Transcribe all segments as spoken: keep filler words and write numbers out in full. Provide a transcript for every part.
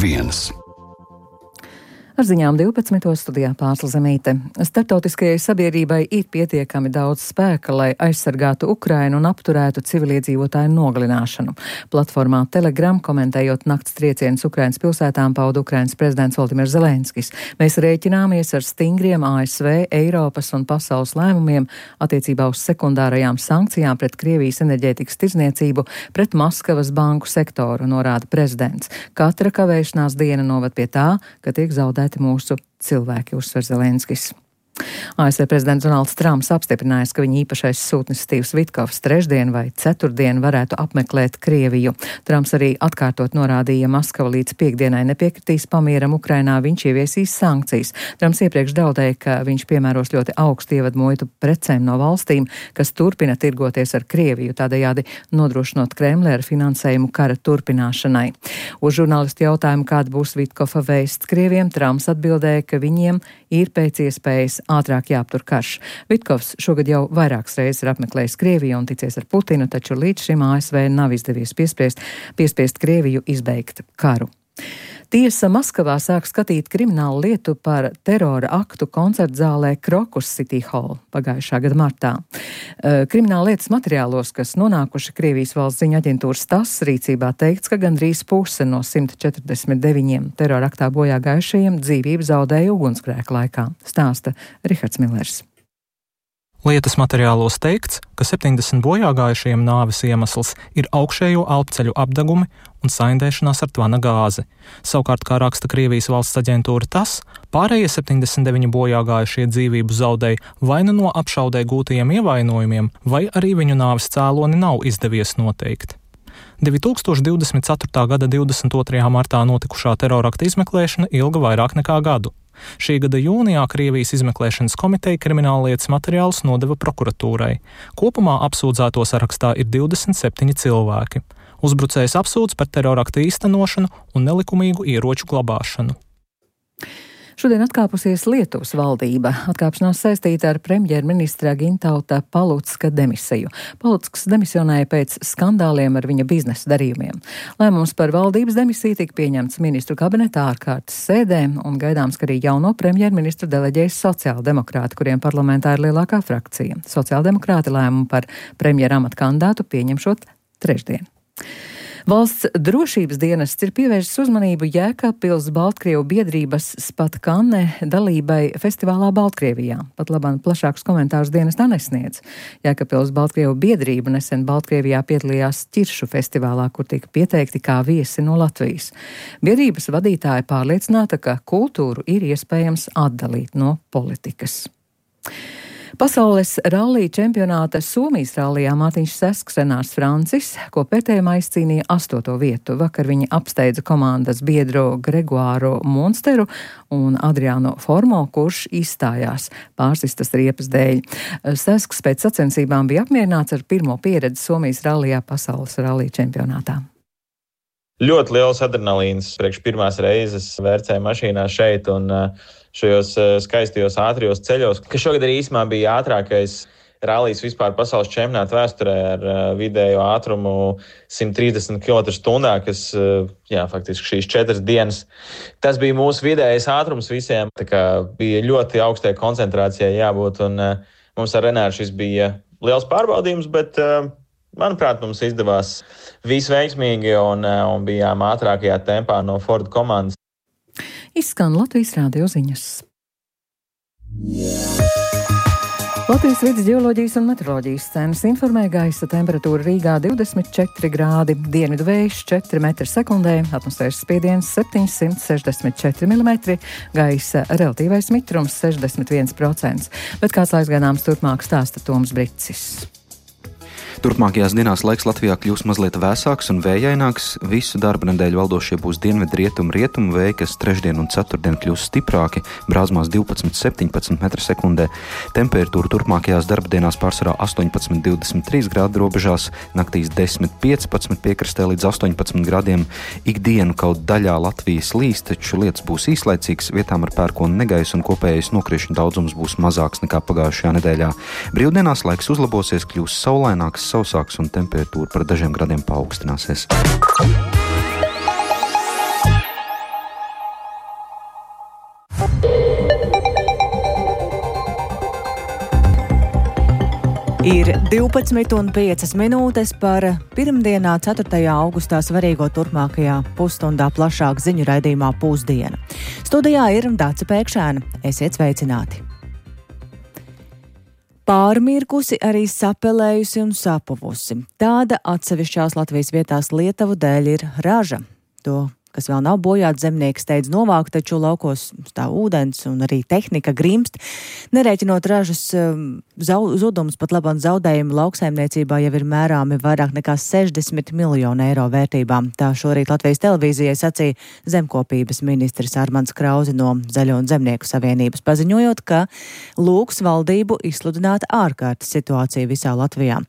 viens. Ar ziņām divpadsmitos studijā Pārsla Zemīte. Starptautiskajai sabiedrībai ir pietiekami daudz spēka, lai aizsargātu Ukrainu un apturētu civiliedzīvotāju nogalināšanu. Platformā Telegram, komentējot nakts triecienus Ukrainas pilsētām, pauda Ukrainas prezidents Volodimirs Zelenskis. Mēs rēķināmies ar stingriem A S V, Eiropas un pasaules lēmumiem attiecībā uz sekundārajām sankcijām pret Krievijas enerģētikas tirdzniecību, pret Maskavas banku sektoru, norāda prezidents. Katra kavēšanās diena novad pie tā, ka tiek zaudēta mūsu cilvēki, uzsver Zelenskis. A S V prezidents Donalds Trumps apstiprinājis, ka viņa īpašais sūtnis Stīvs Vitkovs trešdien vai ceturtdien varētu apmeklēt Krieviju. Trumps arī atkārtot norādīja, ja Maskava līdz piekdienai nepiekritīs pamieram Ukrainā, viņš ieviesīs sankcijas. Trumps iepriekš draudēja, ka viņš piemēros ļoti augstu ievadu muitu precēm no valstīm, kas turpina tirgoties ar Krieviju, tādējādi nodrošinot Kremli ar finansējumu kara turpināšanai. Uz žurnālistu jautājumu, kāda būs Vitkova vēsts Krieviem, Trumps atbildēja, ka viņiem ir pēc iespējas ātrāk jāaptur karš. Vitkovs šogad jau vairākas reizes ir apmeklējis Krieviju un ticies ar Putinu, taču līdz šim A S V nav izdevies piespriest, piespiest Krieviju izbeigt karu. Tiesa Maskavā sāk skatīt kriminālu lietu par terora aktu koncertzālē Krokus City Hall pagājušā gada martā. Krimināla lietas materiālos, kas nonākuši Krievijas valsts ziņu aģentūras TASS rīcībā, teikts, ka gandrīz puse no simt četrdesmit deviņiem terora aktā bojā gājušajiem dzīvību zaudēja ugunsgrēka laikā, stāsta Rihards Millers. Lietas materiālos teikts, ka septiņdesmit bojāgājušajiem nāves iemesls ir augšējo elpceļu apdegumi un saindēšanās ar tvana gāzi. Savukārt, kā raksta Krievijas valsts aģentūra TASS, pārējie septiņdesmit deviņi bojāgājušie dzīvību zaudēja vai nu no apšaudē gūtajiem ievainojumiem, vai arī viņu nāves cēloni nav izdevies noteikt. divi tūkstoši divdesmit ceturtā gada divdesmit otrajā martā notikušā terorakta izmeklēšana ilga vairāk nekā gadu. Šī gada jūnijā Krievijas izmeklēšanas komiteja krimināllietas materiālus nodeva prokuratūrai. Kopumā apsūdzēto sarakstā ir divdesmit septiņi cilvēki. Uzbrucējs apsūdz par terorakta īstenošanu un nelikumīgu ieroču glabāšanu. Šodien atkāpusies Lietuvas valdība. Atkāpšanās saistīta ar premjerministra Gintauta Palucka demisiju. Palucks demisionēja pēc skandāliem ar viņa biznesa darījumiem. Lēmums par valdības demisiju tika pieņemts ministru kabinetā ārkārtas sēdē, un gaidāms, ka arī jauno premjerministru deleģēs sociāldemokrāti, kuriem parlamentā ir lielākā frakcija. Sociāldemokrāti lēmumu par premjera amata kandidātu pieņemšot trešdien. Valsts drošības dienests ir pievērsis uzmanību Jēkabpils Baltkrievu biedrības Spatkanne dalībai festivālā Baltkrievijā. Pat labāk plašākus komentārus dienestā nesniedz. Jēkabpils Baltkrievu biedrība nesen Baltkrievijā piedalījās Ķiršu festivālā, kur tika pieteikti kā viesi no Latvijas. Biedrības vadītāja pārliecināta, ka kultūru ir iespējams atdalīt no politikas. Pasaules rallija čempionāta Somijas rallijā Mārtiņš Sesks Renārs Francis, ko pētējumā izcīnīja astoto vietu. Vakar viņi apsteidza komandas biedru Gregoāru Monsteru un Adriānu Formo, kurš izstājās pārsistas riepas dēļ. Sesks pēc sacensībām bija apmierināts ar pirmo pieredzi Somijas rallijā pasaules rallija čempionātā. Ļoti liels adrenalīns priekš pirmās reizes vērcēja mašīnā šeit un šajos skaistajos ātrijos ceļos, ka šogad arī īsumā bija ātrākais rallijs vispār pasaules čempionāta vēsturē ar vidējo ātrumu simt trīsdesmit kilometru stundā, kas, jā, faktiski šīs četras dienas. Tas bija mūsu vidējais ātrums visiem, tā kā bija ļoti augstai koncentrācijai jābūt, un mums ar Renāru šis bija liels pārbaudījums, bet manuprāt, mums izdevās visveiksmīgi un, un bijām ātrākajā tempā no Ford komandas. Izskan Latvijas rādio ziņas. Latvijas vides ģeoloģijas un meteoroloģijas centrs informē gaisa temperatūra Rīgā divdesmit četri grādi, dienvidu vējš četri metri sekundē, atmosfēras spiediens septiņsimt sešdesmit četri milimetri, gaisa relatīvais mitrums sešdesmit viens procents. Bet kāds laiks gaidāms turpmāk, stāsta Toms Bricis. Turpmākajās dienās laiks Latvijā kļūs mazliet vēsāks un vējaināks. Visu darba nedēļu valdošie būs dienvidu rietumu rietumu vēji, kas trešdien un ceturtdien kļūs stiprāki, brāzmās divpadsmit septiņpadsmit metri sekundē. Temperatūra turpmākajās darba dienās pārsvarā astoņpadsmit divdesmit trīs grādu robežās, naktīs desmit piecpadsmit piekrastē līdz astoņpadsmit grādiem. Ikdienu kaut daļā Latvijas līs, taču lietas būs īslaicīgas, vietām ar pērkonu negaisu un kopējais nokrišņu daudzums būs mazāks nekā pagājušajā nedēļā. Brīvdienās laiks uzlabosies, kļūs saulaināks, sausāks un temperatūra par dažiem gradiem paaugstināsies. Ir divpadsmit un piecas minūtes par pirmdienā, ceturtajā augustā svarīgo turpmākajā pusstundā plašāk ziņu raidījumā Pusdiena. Studijā ir Dace Pēkšēna. Esiet sveicināti! Pārmirkusi, arī sapelējusi un sapuvusi. Tāda atsevišķās Latvijas vietās Lietuvu dēļ ir raža. To, kas vēl nav bojāts, zemnieki steidz novākt, taču laukos stāv ūdens un arī tehnika grimst. Nerēķinot ražas zudumus, pat labāk zaudējumi lauksaimniecībā jau ir mērāmi vairāk nekā sešdesmit miljonu eiro vērtībām. Tā šorīt Latvijas televīzijai sacīja zemkopības ministrs Armands Krauze no Zaļo un Zemnieku savienības, paziņojot, ka lūgs valdību izsludināt ārkārtas situāciju visā Latvijā.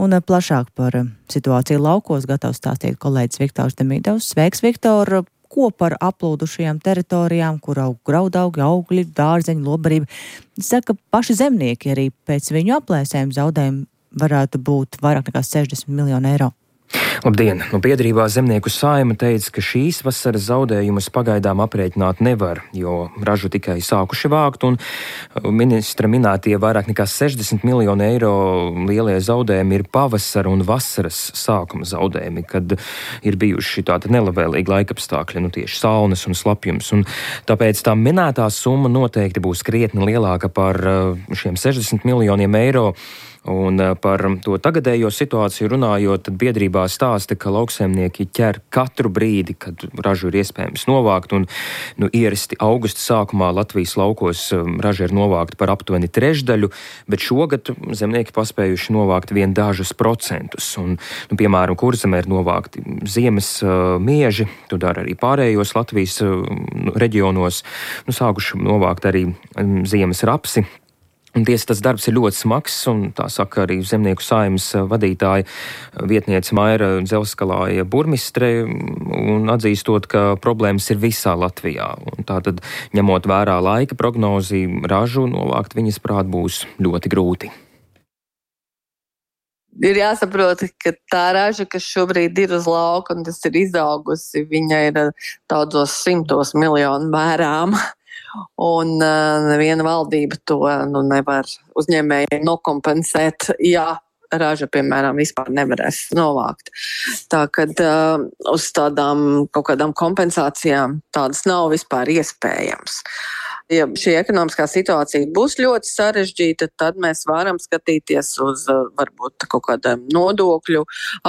Un plašāk par situāciju laukos gatavs stāstīt kolēģis Viktors Demidovs. Sveiks, Viktor! Ko par aplūdušajām teritorijām, kur aug graudaugi, augļi, dārzeņi, lobarība, saka paši zemnieki, arī pēc viņu aplēsēm zaudējumi varētu būt vairāk nekā sešdesmit miljonu eiro. Labdien! No biedrībā Zemnieku saima teica, ka šīs vasaras zaudējumus pagaidām aprēķināt nevar, jo ražu tikai sākuši vākt, un ministra minētie vairāk nekā sešdesmit miljonu eiro lielie zaudējumi ir pavasara un vasaras sākuma zaudējumi, kad ir bijuši tādi nelabvēlīgi laikapstākļi, nu tieši salnas un slapjums, un tāpēc tā minētā summa noteikti būs krietni lielāka par šiem sešdesmit miljoniem eiro. Un par to tagadējo situāciju runājot, tad biedrībā stāsta, ka lauksaimnieki ķer katru brīdi, kad ražu ir iespējams novākt, un nu, ierasti augusta sākumā Latvijas laukos raža ir novākta par aptuveni trešdaļu, bet šogad zemnieki paspējuši novākt vien dažus procentus. Un, nu, piemēram, Kurzemē ir novākti ziemas uh, mieži, to dara arī pārējos Latvijas uh, reģionos, nu, sākuši novākt arī um, ziemas rapsi. Un tiesa, tas darbs ir ļoti smags, un tā saka arī Zemnieku saimas vadītāja vietniece Maira Dzelskalāja burmistre, un atzīstot, ka problēmas ir visā Latvijā. Un tātad, ņemot vērā laika prognozi, ražu novākt viņas prāt būs ļoti grūti. Ir jāsaprot, ka tā raža, kas šobrīd ir uz lauka, un tas ir izaugusi, viņa ir daudzos simtos miljonu mērām. Un uh, neviena valdība to nu, nevar uzņēmējiem nokompensēt, ja raža, piemēram, vispār nevarēs novākt. Tā kad uh, uz tādām kaut kādām kompensācijām tādas nav vispār iespējams. Ja šī ekonomiskā situācija būs ļoti sarežģīta, tad mēs varam skatīties uz varbūt kaut kādām nodokļu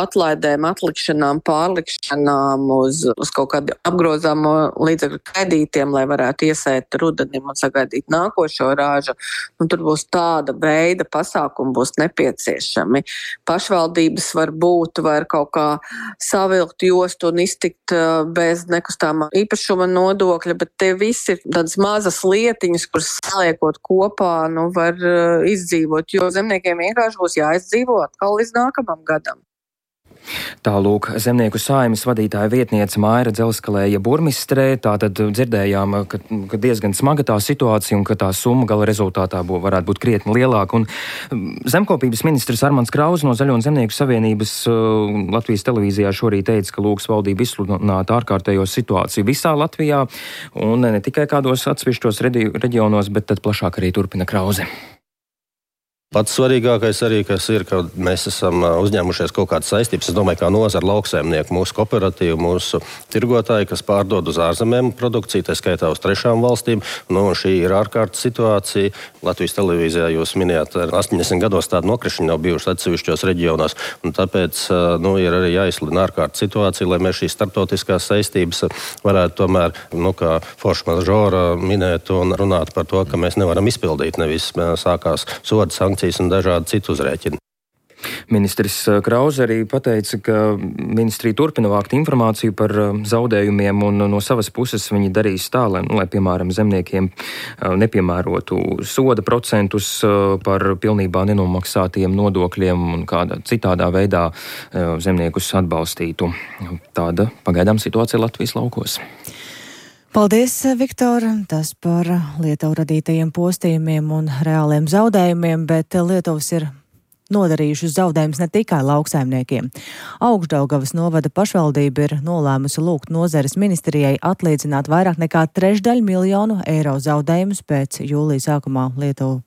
atlaidēm, atlikšanām, pārlikšanām, uz, uz kaut kādu apgrozāmo līdzekļu kredītiem, lai varētu iesēt rudenim un sagaidīt nākošo rāžu. Un tur būs tāda veida pasākumi būs nepieciešami. Pašvaldības varbūt var kaut kā savilkt jostu un iztikt bez nekustāmā īpašuma nodokļa, bet te visi ir tādas mazas lietiņas, kuras saliekot kopā, nu, var uh, izdzīvot, jo zemniekiem vienkārši būs jāizdzīvo atkal līdz nākamam gadam. Tālūk, Zemnieku saimas vadītāja vietniece Maira Dzelskalēja burmistrē, tātad dzirdējām, ka, ka diezgan smaga tā situācija un ka tā summa gala rezultātā bū, varētu būt krietni lielāka. Un zemkopības ministrs Armands Krauze no Zaļo un Zemnieku savienības uh, Latvijas televīzijā šorīt teica, ka lūgs valdību izsludināt ārkārtējo situāciju visā Latvijā un ne tikai kādos atsevišķos reģionos, bet tad plašāk arī turpina Krauze. Pats svarīgākais arī, kas ir, ka mēs esam uzņēmušies kaut kādas saistības. Es domāju, kā nozara lauksaimnieki, mūsu kooperatīvi, mūsu tirgotāji, kas pārdod uz ārzemēm produkciju, tā skaitā uz trešām valstīm. Nu, šī ir ārkārtas situācija. Latvijas televīzijā jūs minējāt, ar astoņdesmit gados tāda nokrišana nav bijušas atsevišķos reģionos. Un tāpēc nu, ir arī jāizsludina ārkārtas situācija, lai mēs šīs starptautiskās saistības varētu tomēr, nu, kā forša mažora minēt un runāt par to, ka mēs nevaram izpildīt. Nevis sākās soda sankcijas un dažādi citu uzrēķini. Ministrs Krauze arī pateica, ka ministrija turpina vākt informāciju par zaudējumiem un no savas puses viņi darīs tā, lai, nu, lai piemēram, zemniekiem nepiemērotu soda procentus par pilnībā nenomaksātiem nodokļiem un kādā citādā veidā zemniekus atbalstītu. Tāda pagaidām situācija Latvijas laukos. Paldies, Viktor! Tas par Lietuvu radītajiem postījumiem un reāliem zaudējumiem, bet Lietuvas ir nodarījušas zaudējumus ne tikai lauksaimniekiem. Augšdaugavas novada pašvaldība ir nolēmusi lūgt nozares ministrijai atlīdzināt vairāk nekā trešdaļu miljonu eiro zaudējumus pēc jūlija sākumā Lietuvu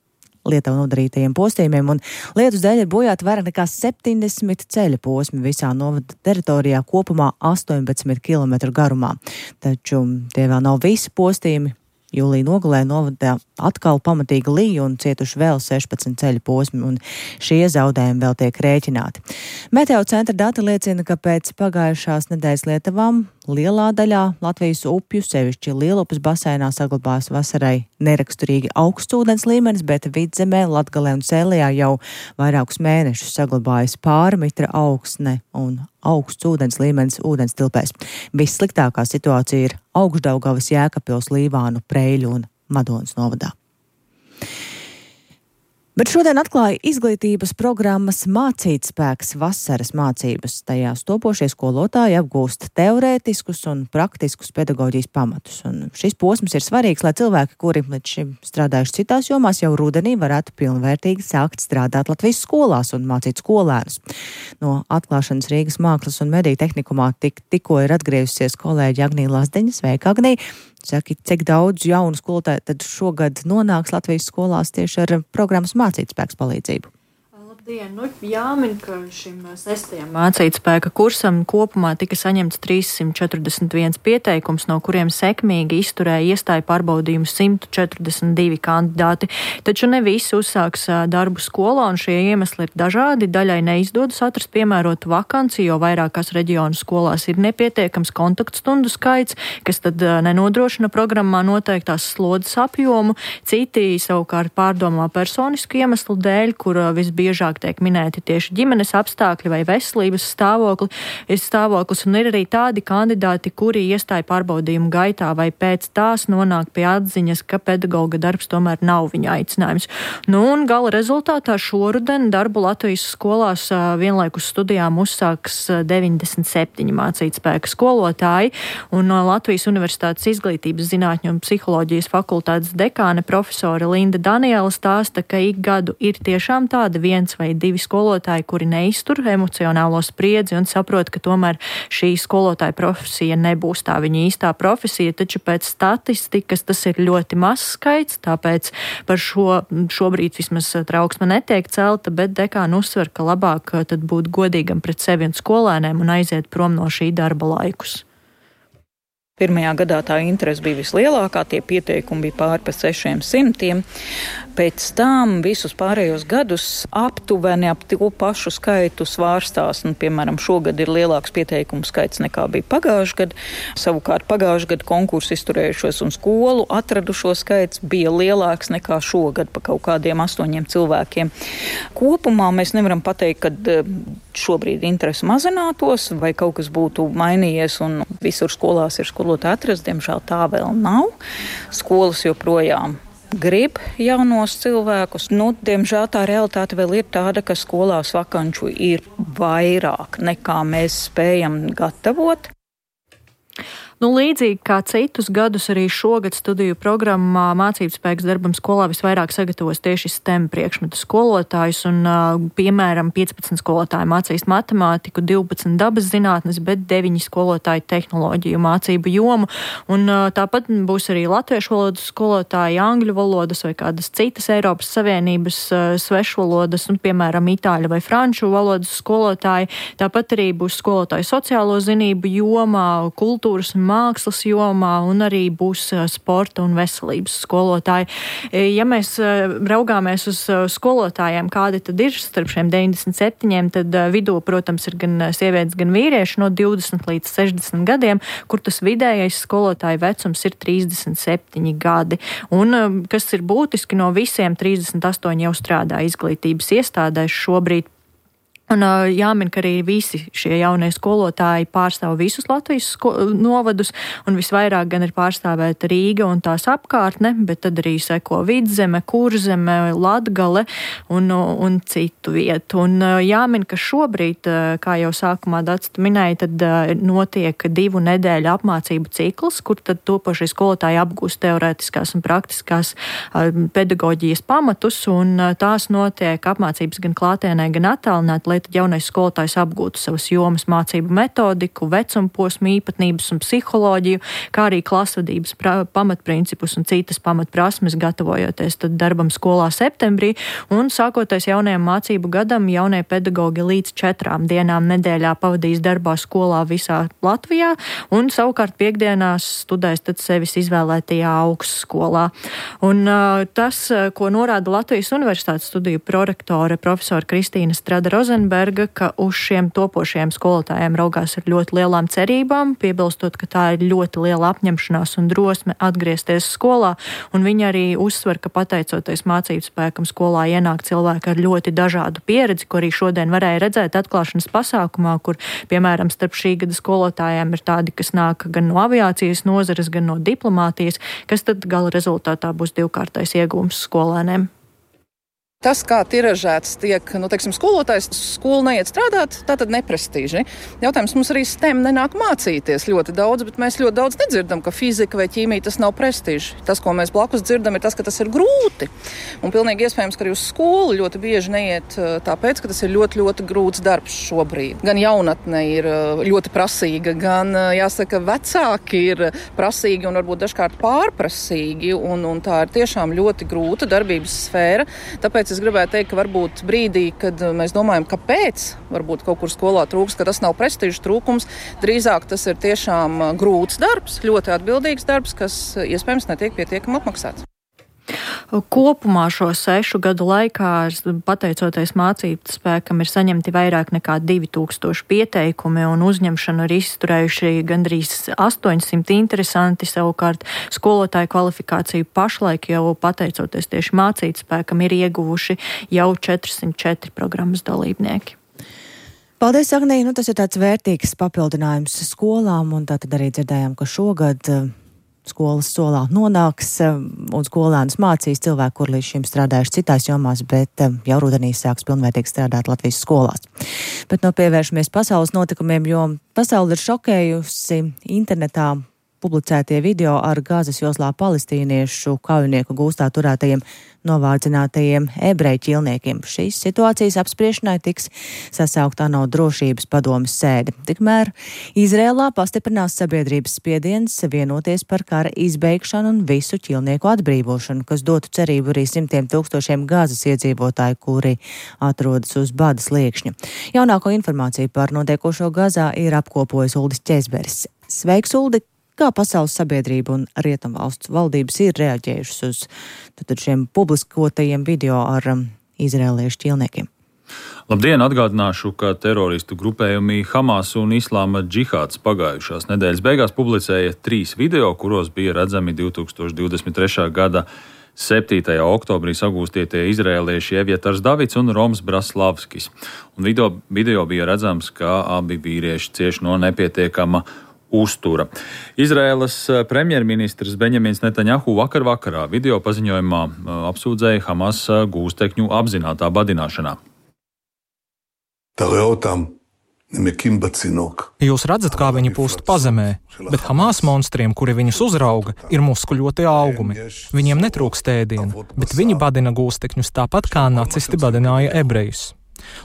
Lietuvu nodarītajiem postījumiem, un lietus dēļ ir bojāti vairāk nekā septiņdesmit ceļa posmi visā novada teritorijā, kopumā astoņpadsmit kilometru garumā. Taču tie vēl nav visi postījumi. Jūlija nogalē novadā atkal pamatīgi līja un cietuši vēl sešpadsmit ceļu posmi, un šie zaudējumi vēl tiek rēķināti. Meteo centra dati liecina, ka pēc pagājušās nedēļas lietavām lielā daļā Latvijas upju, sevišķi Lielupes basēnā, saglabājas vasarai neraksturīgi augsts ūdens līmenis, bet Vidzemē, Latgalē un Sēlijā jau vairākus mēnešus saglabājas pārmitra augsne un augsts ūdens līmenis ūdens tilpēs. Vissliktākā situācija ir Augšdaugavas, Jēkabpils, Līvānu, Preiļu un Madonas novadā. Bet šodien atklāja izglītības programmas Mācītspēks vasaras mācības. Tajās topošie skolotāji apgūst teorētiskus un praktiskus pedagoģijas pamatus. Un šis posms ir svarīgs, lai cilvēki, kuri līdz šim strādājuši citās jomās, jau rudenī varētu pilnvērtīgi sākt strādāt Latvijas skolās un mācīt skolēnus. No atklāšanas Rīgas Mākslas un mediju tehnikumā tik, tikko ir atgriezusies kolēģi Agnija Lazdeņa. Sveika, Agnija! Saki, cik daudz jaunu skolotāju tad šogad nonāks Latvijas skolās tieši ar programmas Mācītspēks palīdzību? Labdien! Nu, jāmin, ka šim sestajam mācītspēka kursam kopumā tika saņemts trīssimt četrdesmit viens pieteikums, no kuriem sekmīgi izturēja iestāju pārbaudījumu simt četrdesmit divi kandidāti. Taču ne visi uzsāks darbu skolā, un šie iemesli ir dažādi. Daļai neizdodas atrast piemērotu vakanci, jo vairākās reģionu skolās ir nepietiekams kontaktstundu skaits, kas tad nenodrošina programmā noteiktās slodzes apjomu. Citi savukārt pārdomā personisku iemeslu dēļ, kur visbiežāk tiek minēti tieši ģimenes apstākļi vai veselības stāvokli, stāvoklis, un ir arī tādi kandidāti, kuri iestāja pārbaudījumu gaitā vai pēc tās nonāk pie atziņas, ka pedagoga darbs tomēr nav viņa aicinājums. Nu, un gala rezultātā šoruden darbu Latvijas skolās vienlaikus studijām uzsāks deviņdesmit septiņi mācītspēka skolotāji, un Latvijas Universitātes izglītības zinātņu un psiholoģijas fakultātes dekāne profesore Linda Daniela stāsta, ka ik gadu ir tiešām tāda viens vai divi skolotāji, kuri neiztur emocionālo spriedzi un saprot, ka tomēr šī skolotāja profesija nebūs tā viņa īstā profesija, taču pēc statistikas tas ir ļoti mazs skaits, tāpēc par šo šobrīd vismaz trauksme netiek celta, bet dekāna uzsver, ka labāk tad būt godīgam pret sevi un skolēniem un aiziet prom no šī darba laikus. Pirmajā gadā tā interese bija vislielākā, tie pieteikumi bija pāri pa sešiem simtiem. Pēc tam visus pārējos gadus aptuveni ap to pašu skaitu svārstās. Nu, piemēram, šogad ir lielāks pieteikumu skaits nekā bija pagājuši gadu. Savukārt pagājuši gadu konkursu izturējušos un skolu atradušo skaits bija lielāks nekā šogad pa kaut kādiem astoņiem cilvēkiem. Kopumā mēs nevaram pateikt, ka šobrīd interese mazinātos vai kaut kas būtu mainījies un visur skolās ir skolotāji atrast. Diemžēl tā vēl nav. Skolas joprojām grib jaunos cilvēkus. Nu, diemžēl tā realitāte vēl ir tāda, ka skolās vakanču ir vairāk nekā mēs spējam gatavot. Nu, līdzīgi kā citus gadus arī šogad studiju programmā Mācībspēks darbam skolā visvairāk sagatavos tieši STEM priekšmetu skolotājus, un, piemēram, piecpadsmit skolotāji mācīs matemātiku, divpadsmit dabas zinātnes, bet deviņi skolotāji tehnoloģiju mācību jomu, un tāpat būs arī latviešu valodas skolotāji, angļu valodas vai kādas citas Eiropas Savienības svešvalodas, un, piemēram, itāļu vai franču valodas skolotāji. Tāpat arī būs skolotāji sociālo zinību jomā, kultūras un mākslas jomā, un arī būs sporta un veselības skolotāji. Ja mēs raugāmies uz skolotājiem, kādi tad ir starp šiem deviņdesmit septiņiem, tad vidū, protams, ir gan sievietes, gan vīrieši no divdesmit līdz sešdesmit gadiem, kur tas vidējais skolotāju vecums ir trīsdesmit septiņi gadi. Un, kas ir būtiski, no visiem trīsdesmit astoņi jau strādā izglītības iestādēs šobrīd. Un jāmin, ka arī visi šie jaunie skolotāji pārstāv visus Latvijas novadus, un visvairāk gan ir pārstāvēta Rīga un tās apkārtne, bet tad arī seko Vidzeme, Kurzeme, Latgale un, un citu vietu. Un jāmin, ka šobrīd, kā jau sākumā Dats minēja, tad notiek divu nedēļu apmācību cikls, kur tad topošie skolotāji apgūst teorētiskās un praktiskās pedagoģijas pamatus, un tās notiek apmācības gan klātienē, gan attālināti lai tad jaunais skolotājs apgūtu savas jomas mācību metodiku, vecumposmu īpatnības un psiholoģiju, kā arī klasvadības pamatprincipus un citas pamatprasmes, gatavojoties tad darbam skolā septembrī, un sākoties jaunajam mācību gadam, jaunie pedagogi līdz četrām dienām nedēļā pavadīs darbā skolā visā Latvijā, un savukārt piekdienās studēs tad sevis izvēlētajā augstskolā. Un uh, tas, ko norāda Latvijas Universitātes studiju prorektore profesora Kristīna Strada Rozenberga, ka uz šiem topošajiem skolotājiem raugās ar ļoti lielām cerībām, piebilstot, ka tā ir ļoti liela apņemšanās un drosme atgriezties skolā, un viņa arī uzsver, ka pateicoties mācību spēkam skolā ienāk cilvēki ar ļoti dažādu pieredzi, ko arī šodien varēja redzēt atklāšanas pasākumā, kur, piemēram, starp šī gada skolotājiem ir tādi, kas nāk gan no aviācijas nozares, gan no diplomātijas, kas tad gala rezultātā būs divkārtais iegūms skolēniem. Tas, kā tiražēts tiek, nu, teiksim, skolotājs skolu neiet strādāt, tā tad neprestīži. Jautājums, mums arī STEM nenāk mācīties ļoti daudz, bet mēs ļoti daudz nedzirdam, ka fizika vai ķīmija tas nav prestīži. Tas, ko mēs blakus dzirdam, ir tas, ka tas ir grūti. Un pilnīgi iespējams, ka arī uz skolu ļoti bieži neiet tāpēc, ka tas ir ļoti, ļoti grūts darbs šobrīd. Gan jaunatne ir ļoti prasīga, gan, jāsaka, vecāki ir prasīgi un varbūt dažkārt pārprasīgi, un, un tā ir tiešām ļoti grūta darbības sfēra. Tāpēc es gribētu teikt, ka varbūt brīdī, kad mēs domājam, kāpēc varbūt kaut kur skolā trūks, ka tas nav prestīžu trūkums, drīzāk tas ir tiešām grūts darbs, ļoti atbildīgs darbs, kas iespējams netiek pietiekami apmaksāts. Kopumā šo sešu gadu laikā, pateicoties mācību spēkam, ir saņemti vairāk nekā divi tūkstoši pieteikumi, un uzņemšanu ir izturējuši gandrīz astoņsimt interesanti. Savukārt skolotāju kvalifikāciju pašlaik jau pateicoties tieši mācību spēkam ir ieguvuši jau četrsimt četri programmas dalībnieki. Paldies, Agnī! Nu, tas ir tāds vērtīgs papildinājums skolām, un tātad arī dzirdējām, ka šogad skolas solā nonāks un skolēnus mācīs cilvēki, kur līdz šim strādājuši citās jomās, bet jau rudenī sāks pilnvērtīgi strādāt Latvijas skolās. Bet no pievēršamies pasaules notikumiem, jo pasauli ir šokējusi internetā publicētie video ar Gazas joslā palestīniešu kaujinieku gūstā turētajiem novārdzinātajiem ebreju ķilniekiem. Šīs situācijas apspriešanai tiks sasaukta ANO drošības padomes sēde. Tikmēr Izrēlā pastiprinās sabiedrības spiediens vienoties par kara izbeigšanu un visu ķilnieku atbrīvošanu, kas dotu cerību arī simtiem tūkstošiem Gazas iedzīvotāju, kuri atrodas uz bada sliekšņa. Jaunāko informāciju par notiekošo Gazā ir apkopojis Uldis Ķezberis. Sveiks, Uldi! Kā pasaules sabiedrība un rietumvalstu valdības ir reaģējušas uz tad, šiem publiskotajiem video ar um, izrēliešu ķilniekiem? Labdien! Atgādināšu, ka teroristu grupējumi Hamas un Islāma džihāds pagājušās nedēļas beigās publicēja trīs video, kuros bija redzami divtūkstoš divdesmit trešā gada septītajā oktobrī sagūstītie izrēlieši Evjetars Davids un Roms Braslavskis. Un video, video bija redzams, ka abi vīrieši cieš no nepietiekama uztura. Izraēlas premjerministrs Benjamins Netanjahu vakar vakarā video paziņojumā apsūdzēja Hamas gūstekņu apzinātā badināšanā. Jūs redzat, kā viņi pūst pazemē, bet Hamas monstriem, kuri viņus uzrauga, ir muskuļoti augumi. Viņiem netrūkst ēdiena, bet viņi badina gūstekņus tāpat, kā nacisti badināja ebrejus.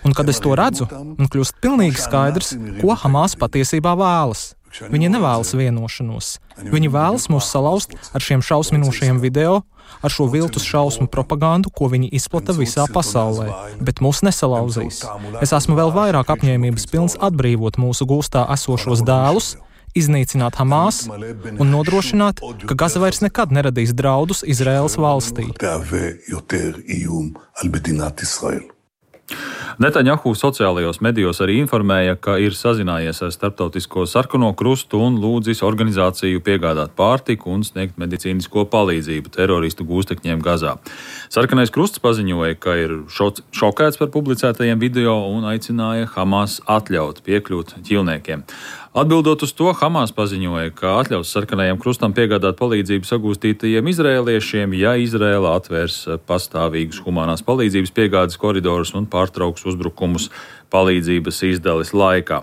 Un kad es to redzu, man kļūst pilnīgi skaidrs, ko Hamas patiesībā vēlas. Viņi nevēlas vienošanos. Viņi vēlas mūs salauzt ar šiem šausminošajiem video, ar šo viltus šausmu propagandu, ko viņi izplata visā pasaulē, bet mūs nesalauzīs. Es esmu vēl vairāk apņēmības pilns atbrīvot mūsu gūstā esošos dēlus, iznīcināt Hamas un nodrošināt, ka Gaza vairs nekad neradīs draudus Izraēlas valstī. Netanjahu sociālajos medijos arī informēja, ka ir sazinājies ar Starptautisko sarkano krustu un lūdzis organizāciju piegādāt pārtiku un sniegt medicīnisko palīdzību teroristu gūstekņiem Gazā. Sarkanais krusts paziņoja, ka ir šokēts par publicētajiem video un aicināja Hamas atļaut piekļūt ķilniekiem. Atbildot uz to, Hamas paziņoja, ka atļaus sarkanajam krustam piegādāt palīdzību sagūstītajiem izrēliešiem, ja Izrēla atvērs pastāvīgus humanās palīdzības piegādes koridorus un pārtrauks uzbrukumus palīdzības izdales laikā.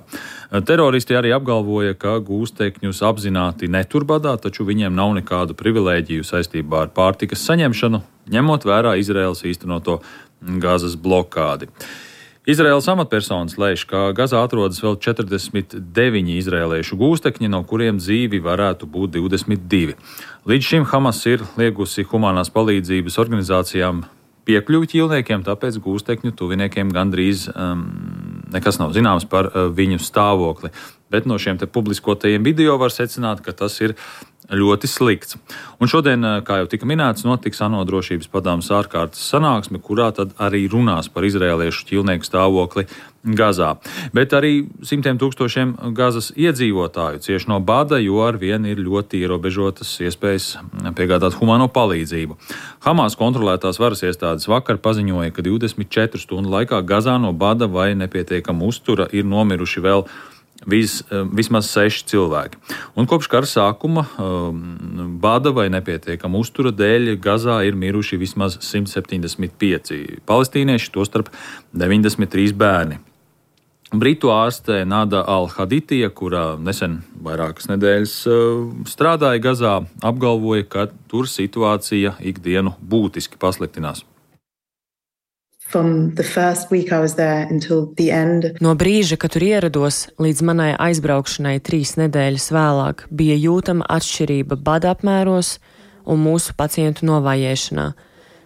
Teroristi arī apgalvoja, ka gūstekņus apzināti netur badā, taču viņiem nav nekādu privilēģiju saistībā ar pārtikas saņemšanu, ņemot vērā Izraēlas īstenoto Gazas blokādi. Izraēlas amatpersonas lēš, ka Gazā atrodas vēl četrdesmit deviņi izraēliešu gūstekņi, no kuriem dzīvi varētu būt divdesmit divi. Līdz šim Hamas ir liegusi humanās palīdzības organizācijām piekļuvi ķīlniekiem, tāpēc gūstekņu tuviniekiem gandrīz um, nekas nav zināms par uh, viņu stāvokli. Bet no šiem te publiskotajiem video var secināt, ka tas ir ļoti slikts. Un šodien, kā jau tika minēts, notiks ANO drošības padomes ārkārtas sanāksme, kurā tad arī runās par izraēliešu ķīlnieku stāvokli Gazā. Bet arī simtiem tūkstošiem Gazas iedzīvotāju cieš no bada, jo ar vienu ir ļoti ierobežotas iespējas piegādāt humāno palīdzību. Hamas kontrolētās varas iestādes vakar paziņoja, ka divdesmit četru stundu laikā Gazā no bada vai nepietiekama uztura ir nomiruši vēl Vis, vismaz seši cilvēki. Un kopš kara sākuma bada vai nepietiekama uztura dēļ Gazā ir miruši vismaz simt septiņdesmit pieci palestīnieši, tostarp deviņdesmit trīs bērni. Britu ārste Nada Al-Haditija, kurā nesen vairākas nedēļas strādāja Gazā, apgalvoja, ka tur situācija ikdienu būtiski pasliktinās. No brīža, kad tur ierados, līdz manai aizbraukšanai trīs nedēļas vēlāk, bija jūtama atšķirība bada apmēros un mūsu pacientu novājēšanā.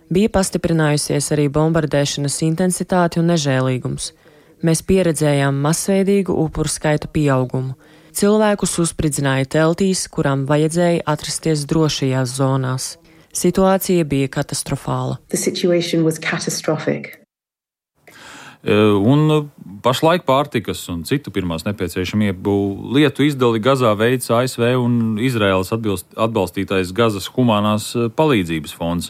Bija pastiprinājusies arī bombardēšanas intensitāte un nežēlīgums. Mēs pieredzējām masveidīgu upuru skaita pieaugumu. Cilvēkus uzspridzināja teltīs, kurām vajadzēja atrasties drošajās zonās. Situācija bija katastrofāla. Un pašlaik pārtikas un citu pirmās nepieciešamību lietu izdali Gazā veids A S V un Izraēlas atbalstītais Gazas humanās palīdzības fonds.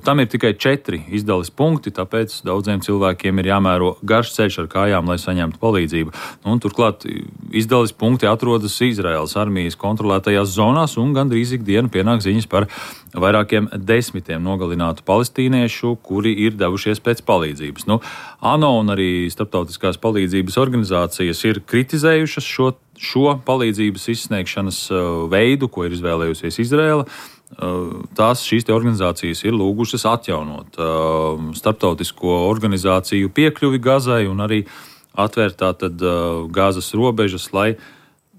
Tam ir tikai četri izdales punkti, tāpēc daudziem cilvēkiem ir jāmēro garš ceļš ar kājām, lai saņemtu palīdzību. Un turklāt izdales punkti atrodas Izraēlas armijas kontrolētajās zonās un gandrīz ikdienu pienāk ziņas par vairākiem desmitiem nogalinātu palestīniešu, kuri ir devušies pēc palīdzības. Nu, ANO un arī starptautiskās palīdzības organizācijas ir kritizējušas šo, šo palīdzības izsniegšanas veidu, ko ir izvēlējusies Izraēla. Tās šīs te organizācijas ir lūgušas atjaunot starptautisko organizāciju piekļuvi Gazai un arī atvērt tātad Gazas robežas, lai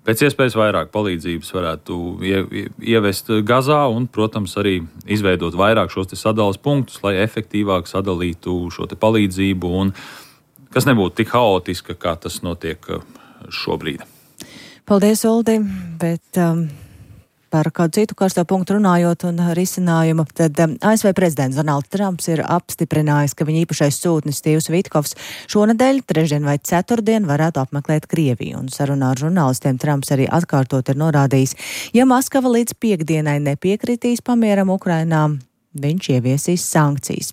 pēc iespējas vairāk palīdzības varētu ievest Gazā un, protams, arī izveidot vairāk šos te sadales punktus, lai efektīvāk sadalītu šo te palīdzību un kas nebūtu tik haotiska, kā tas notiek šobrīd. Paldies, Uldi, bet um, par kādu citu karsto punktu runājot un risinājumu, tad um, A S V prezidents Donalds Trumps ir apstiprinājis, ka viņa īpašais sūtnis Stīvs Vitkovs šonedēļ, trešdien vai ceturtdien varētu apmeklēt Krieviju. Un sarunā ar žurnālistiem Trumps arī atkārtot ir norādījis, ja Maskava līdz piekdienai nepiekritīs pamieram Ukrainā, viņš ieviesīs sankcijas.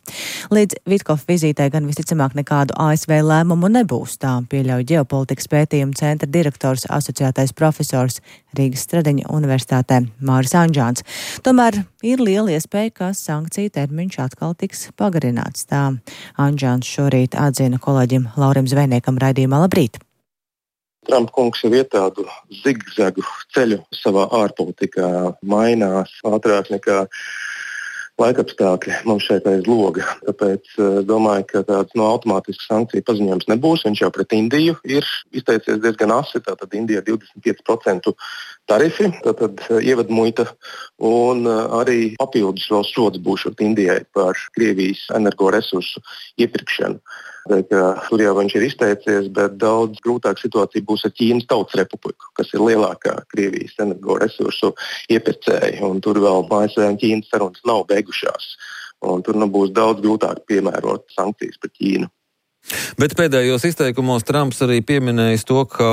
Līdz Vitkova vizītē gan visticamāk nekādu A S V lēmumu nebūs, tā pieļauj ģeopolitikas pētījumu centra direktors asociētais profesors Rīgas Stradiņa universitātē Māris Anģāns. Tomēr ir liela iespēja, ka sankciju termiņš atkal tiks pagarināts. Tā Anģāns šorīt atzina kolēģim Laurim Zvejniekam raidījumā Labrīt. Trumpa kungs jau iet tādu zigzagu ceļu savā ārpolitikā, mainās ātrāk nekā laikapstākļi mums šeit aiz loga. Tāpēc domāju, ka tāds no automātisks sankciju paziņojums nebūs. Viņš jau pret Indiju ir izteicies diezgan asi. Tātad Indija divdesmit pieci procenti tarifi, tātad ievadmuita un arī papildus vēl sods būšot Indijai par Krievijas energoresursu iepirkšanu. Tur jau viņš ir izteicies, bet daudz grūtāka situācija būs ar Ķīnas Tautas Republiku, kas ir lielākā Krievijas energoresursu iepirkēja. Tur vēl A S V un Ķīnas sarunas nav beigušās. Un tur nu būs daudz grūtāk piemērot sankcijas pret Ķīnu. Bet pēdējos izteikumos Trumps arī pieminējis to, ka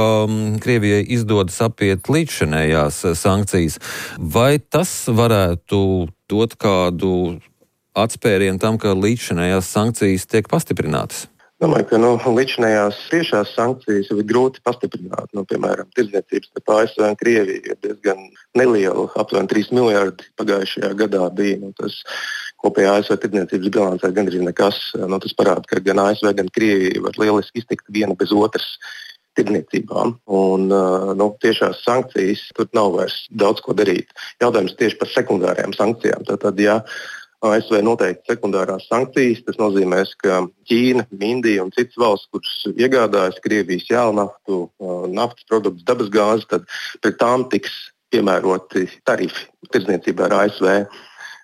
Krievijai izdodas apiet līdzšinējās sankcijas. Vai tas varētu dot kādu atspērienu tam, ka līdzšinējās sankcijas tiek pastiprinātas? Domāju, ka nu, līdzinājās tiešās sankcijas ir grūti pastiprināt. Nu, piemēram, tirdzniecības starp A S V un Krieviju ir diezgan neliela, aptuveni trīs miljardi pagājušajā gadā bija. Nu, tas kopējā A S V tirdzniecības bilancē gandrīz nekas. Nu, tas parāda, ka gan A S V, gan Krievija var lieliski iztikt viena bez otras tirdzniecībām. Un nu, tiešās sankcijas tur nav vairs daudz ko darīt. Jautājums tieši par sekundārajām sankcijām. Tātad, ja A S V noteikti sekundārās sankcijas. Tas nozīmē, ka Ķīna, Indija un citas valsts, kuras iegādājas Krievijas jēlnaftu, naftas produktus, dabasgāzi, tad pret tām tiks piemēroti tarifi tirdzniecībā ar A S V.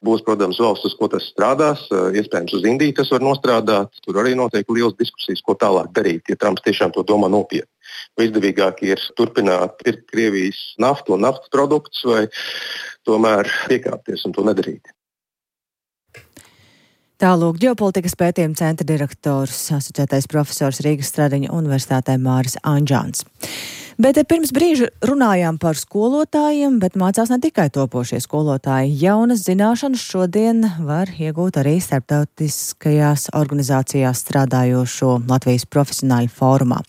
Būs, protams, valsts, uz ko tas strādās. Iespējams, uz Indiju tas var nostrādāt. Tur arī notiek liels diskusijas, ko tālāk darīt, ja Trumps tiešām to domā nopietni. Vai izdevīgāk ir turpināt pirkt Krievijas naftu un naftas produktus, vai tomēr piekāpties un to nedarīt. Tālūk ģeopolitikas pētījuma centra direktors, asociētais profesors Rīgas Stradiņa universitātē Māris Anģāns. Bet pirms brīža runājām par skolotājiem, bet mācās ne tikai topošie skolotāji. Jaunas zināšanas šodien var iegūt arī starptautiskajās organizācijās strādājošo Latvijas profesionāļu fórumā.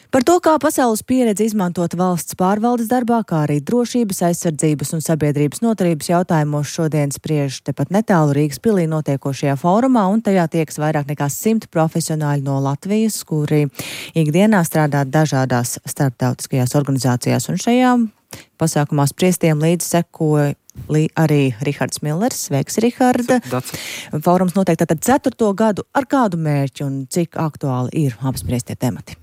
Par to, kā pasaules pieredze izmantot valsts pārvaldes darbā, kā arī drošības, aizsardzības un sabiedrības noturības jautājumos šodien spriež tepat netālu Rīgas pilī notiekošajā fórumā, un tajā tieks vairāk nekā simt profesionāļi no Latvijas, kuri ikdienā strādā dažādās starptautiskajās organizācijās, un šajā pasākumā spriestiem līdz sekoja arī Rihards Millers. Sveiks, Riharda! Fórums notiek tātad ceturto gadu. Ar kādu mērķi un cik aktuāli ir apspriestie temati?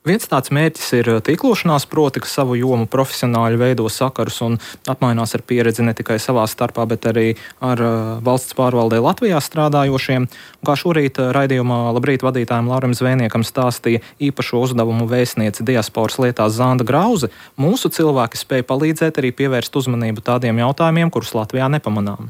Viens tāds mērķis ir tīklošanās, proti, ka savu jomu profesionāļi veido sakarus un apmainās ar pieredzi ne tikai savā starpā, bet arī ar valsts pārvaldē Latvijā strādājošiem. Un kā šorīt raidījumā Labrīt vadītājiem Laurim Zvēniekam stāstīja īpašo uzdevumu vēstniece diasporas lietās Zanda Grauze, mūsu cilvēki spēja palīdzēt arī pievērst uzmanību tādiem jautājumiem, kurus Latvijā nepamanām.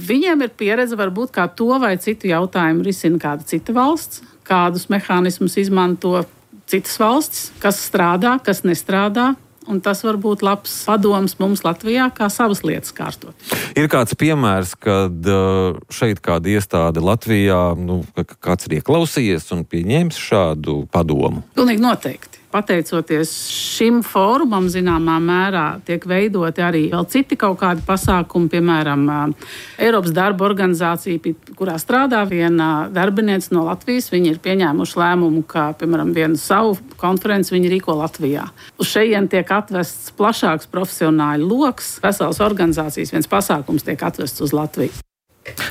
Viņiem ir pieredze varbūt kā to vai citu jautājumu risina kāda cita valsts, kādus mehānismus izmanto citas valstis, kas strādā, kas nestrādā. Un tas var būt labs padoms mums Latvijā, kā savas lietas kārtot. Ir kāds piemērs, kad šeit kāda iestāde Latvijā, nu, kāds ir ieklausījies un pieņēmis šādu padomu? Pilnīgi noteikti. Pateicoties šim fórumam, zināmā mērā tiek veidoti arī vēl citi kaut kādi pasākumi, piemēram, Eiropas darba organizācija, kurā strādā viena darbinieca no Latvijas. Viņi ir pieņēmuši lēmumu, ka, piemēram, vienu savu konferenci viņi rīko Latvijā. Uz šejien tiek atvests plašāks profesionāļu loks, veselas organizācijas, viens pasākums tiek atvests uz Latviju.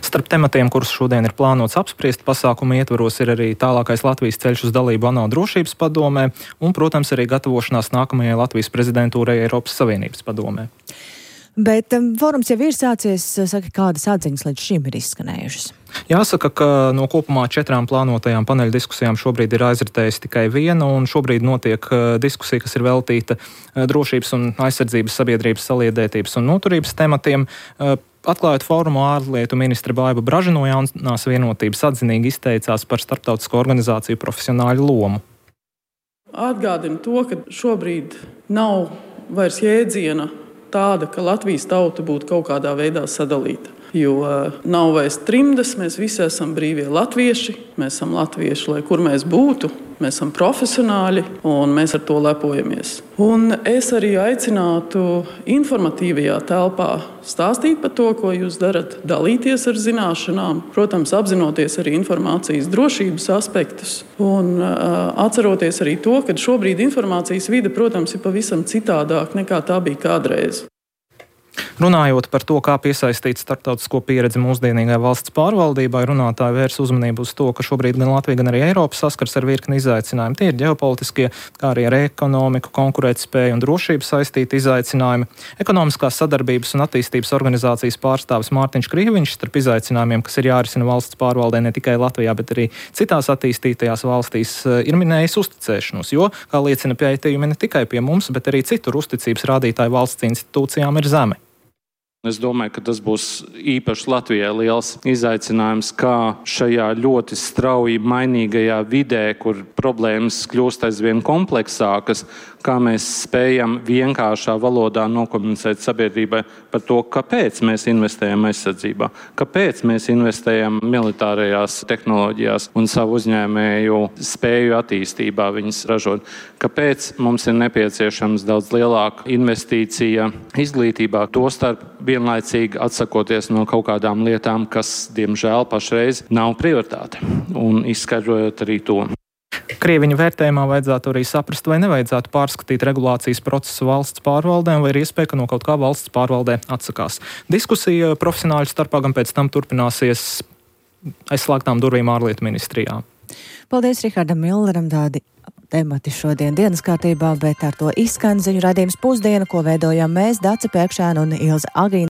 Starp tematiem, kurus šodien ir plānots apspriest, pasākuma ietvaros ir arī tālākais Latvijas ceļš uz dalību ANO drošības padomē un, protams, arī gatavošanās nākamajai Latvijas prezidentūrai Eiropas Savienības padomē. Bet um, fórums jau ir sācies, saka, kādas atziņas līdz šim ir izskanējušas? Jāsaka, ka no kopumā četrām plānotajām paneļa diskusijām šobrīd ir aizritējusi tikai viena, un šobrīd notiek uh, diskusija, kas ir veltīta uh, drošības un aizsardzības sabiedrības saliedētības un noturības tematiem. Uh, Atklājot fórumu, ārlietu ministre Baiba Braža no Jaunās vienotības atzinīgi izteicās par starptautisko organizāciju profesionāļu lomu. Atgādinu to, ka šobrīd nav vairs jēdziena tāda, ka Latvijas tauta būtu kaut kādā veidā sadalīta. Jo nav vairs trimdas, mēs visi esam brīvie latvieši, mēs esam latvieši, lai kur mēs būtu, mēs esam profesionāļi un mēs ar to lepojamies. Un es arī aicinātu informatīvajā telpā stāstīt par to, ko jūs darat, dalīties ar zināšanām, protams, apzinoties arī informācijas drošības aspektus un uh, atceroties arī to, ka šobrīd informācijas vide, protams, ir pavisam citādāk nekā tā bija kādreiz. Runājot par to, kā piesaistīt starptautisko pieredzi mūsdienīgai valsts pārvaldībai, runātāji vērs uzmanību uz to, ka šobrīd gan Latvija, gan arī Eiropa saskars ar virkni izaicinājumu. Tie ir ģeopolitiskie, kā arī ar ekonomiku, konkurētspēju un drošību saistīti izaicinājumi. Ekonomiskās sadarbības un attīstības organizācijas pārstāvis Mārtiņš Krīviņš starp izaicinājumiem, kas ir jārisina valsts pārvaldē ne tikai Latvijā, bet arī citās attīstītajās valstīs, ir minējis uzticēšanos, jo, kā liecina pētījumi, ne tikai pie mums, bet arī citur uzticības rādītāji valsts institūcijām ir zemi. Es domāju, ka tas būs īpaši Latvijai liels izaicinājums, kā šajā ļoti strauji mainīgajā vidē, kur problēmas kļūst aizvien kompleksākas, kā mēs spējam vienkāršā valodā nokomunicēt sabiedrībai par to, kāpēc mēs investējam aizsardzībā, kāpēc mēs investējam militārajās tehnoloģijās un savu uzņēmēju spēju attīstībā viņas ražot, kāpēc mums ir nepieciešams daudz lielāka investīcija izglītībā, tostarp vienlaicīgi atsakoties no kaut kādām lietām, kas, diemžēl, pašreiz nav prioritāte, un izskaidrojot arī to. Krieviņu vērtējumā vajadzētu arī saprast, vai nevajadzētu pārskatīt regulācijas procesu valsts pārvaldēm, vai ir iespēja, ka no kaut kā valsts pārvaldē atsakās. Diskusija profesionāļu starpā gan pēc tam turpināsies aizslēgtām durvīm ārlietu ministrijā. Paldies Rihardam Milleram, tādi temati šodien dienas kārtībā, bet ar to izskan ziņu raidījums Pusdiena, ko veidojām mēs, Dace Pēkšēna un Ilze Agrīna.